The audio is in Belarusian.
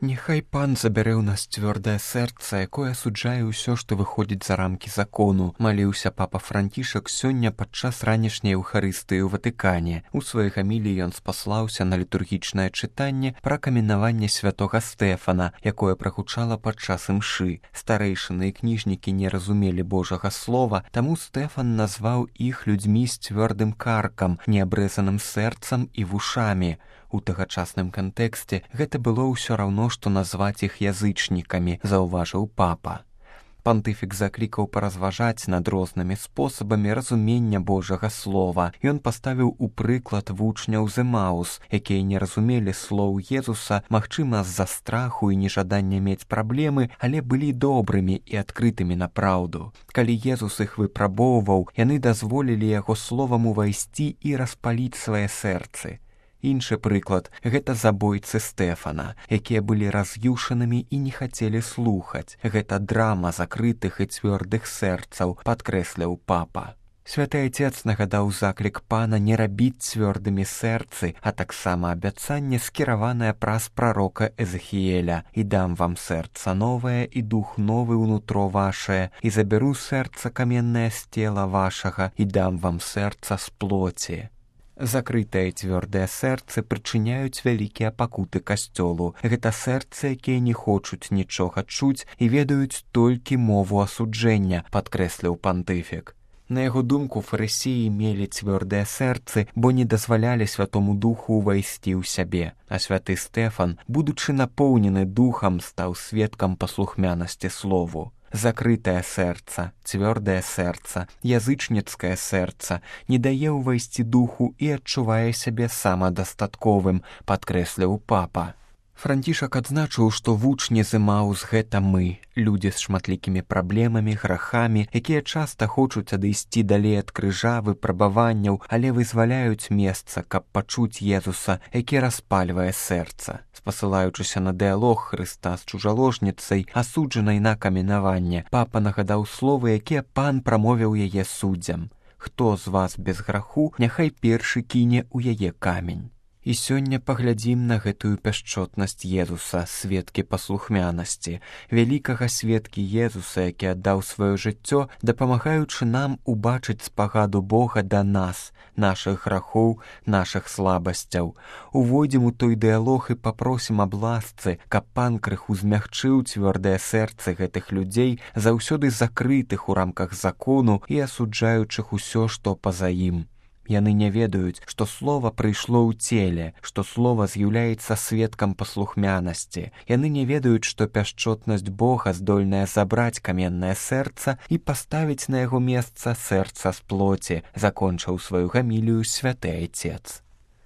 Няхай пан забярэ ў нас цвёрдае сэрца, якое асуджае ўсё, што выходзіць за рамкі закону, маліўся папа Францішак сёння падчас ранішняй эўхарыстыі ў Ватыкане. У сваёй гаміліі ён спаслаўся на літургічнае чытанне пра каменаванне святога Стэфана, якое прагучала падчас імшы. Старэйшыны і кніжнікі не разумелі Божага слова, таму Стэфан назваў іх людзьмі з цвёрдым каркам, неабрэзаным сэрцам і вушамі. У тагачасным кантэксце гэта было ўсё раўно, што назваць іх язычнікамі, заўважыў папа. Пантыфік заклікаў паразважаць над рознымі спосабамі разумення Божага слова. Ён паставіў у прыклад вучняў з Эмаус, якія не разумелі слоў Езуса, магчыма, з-за страху і нежадання мець праблемы, але былі добрымі і адкрытымі на праўду. Калі Езус іх выпрабоўваў, яны дазволілі яго словам увайсці і распаліць свае сэрцы. Іншы прыклад – гэта забойцы Стэфана, якія былі раз'юшанымі і не хацелі слухаць. Гэта драма закрытых і цвёрдых сэрцаў, падкрэсліў папа. Святы Отец нагадаў заклік пана не рабіць цвёрдымі сэрцы, а таксама абяцанне, скіраванае праз прарока Эзэхіэля: «І дам вам сэрца новае, і дух новы ўнутро вашае, і забяру сэрца каменнае з цела вашага, і дам вам сэрца з плоці». Закрытыя цвёрдыя сэрцы прычыняюць вялікія пакуты касцёлу. Гэта сэрцы, якія не хочуць нічога чуць і ведаюць толькі мову асуджэння, падкрэсліў пантыфік. На яго думку, фарысеі мелі цвёрдыя сэрцы, бо не дазвалялі святому духу ўвайсці ў сябе. А святы Стэфан, будучы напоўнены духам, стаў сведкам паслухмянасці слову. Закрытае сэрца, цвёрдае сэрца, язычніцкае сэрца не дае ўвайсці духу і адчувае сябе самадастатковым, падкрэсліў папа. Францішак адзначыў, што вучні з Эмаус – гэта мы, людзі з шматлікімі праблемамі, грахамі, якія часта хочуць адысці далей ад крыжа, выпрабаванняў, але вызваляюць месца, каб пачуць Езуса, які распальвае сэрца. Спасылаючыся на дыялог Хрыста з чужаложніцай, асуджанай на каменаванне, папа нагадаў словы, якія пан прамовіў яе суддзям: «Хто з вас без граху, няхай першы кіне ў яе камень». І сёння паглядзім на гэтую пяшчотнасць Езуса, сведкі паслухмянасці, вялікага сведкі Езуса, які аддаў сваё жыццё, дапамагаючы нам убачыць спагаду Бога да нас, нашых грахоў, нашых слабасцяў. Увойдзем у той дыялог і папросім аб ласцы, каб пан крыху змягчыў цвёрдыя сэрцы гэтых людзей, заўсёды закрытых у рамках закону і асуджаючых усё, што па-за ім. Яны не ведаюць, што слова прыйшло ў целе, што слова з'яўляецца сведкам паслухмянасці. Яны не ведаюць, што пяшчотнасць Бога здольная забраць каменнае сэрца і паставіць на яго месца сэрца з плоці, закончыў сваю гамілію святы Отец.